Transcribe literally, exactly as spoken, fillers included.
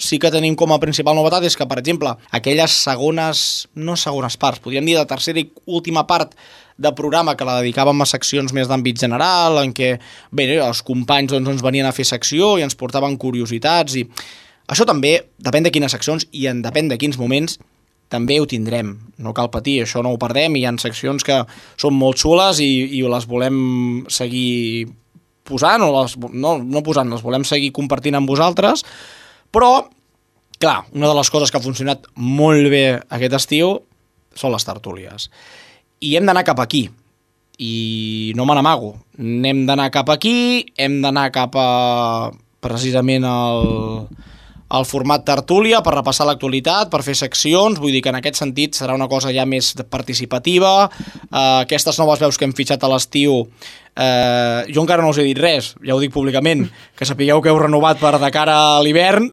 sí que tenim com a principal novetat és que, per exemple, aquelles segones, no segones parts, podríem dir de tercera i última part de programa que la dedicàvem a seccions més d'àmbit general, en què bé, els companys doncs, ens venien a fer secció i ens portaven curiositats, i això també depèn de quines seccions i en depèn de quins moments també ho tindrem, no cal patir, això no ho perdem, i hi ha seccions que són molt xules i, i les volem seguir posant, o les, no, no posant, les volem seguir compartint amb vosaltres, però, clar, una de les coses que ha funcionat molt bé aquest estiu són les tertúlies. I hem d'anar cap aquí, i no me n'amago, n'hem d'anar cap aquí, hem d'anar cap a precisament el... el format tertúlia per repassar l'actualitat, per fer seccions, vull dir que en aquest sentit serà una cosa ja més participativa. Eh, aquestes noves veus que hem fitxat a l'estiu, eh, jo encara no us he dit res, ja ho dic públicament, que sapigueu que heu renovat per de cara a l'hivern,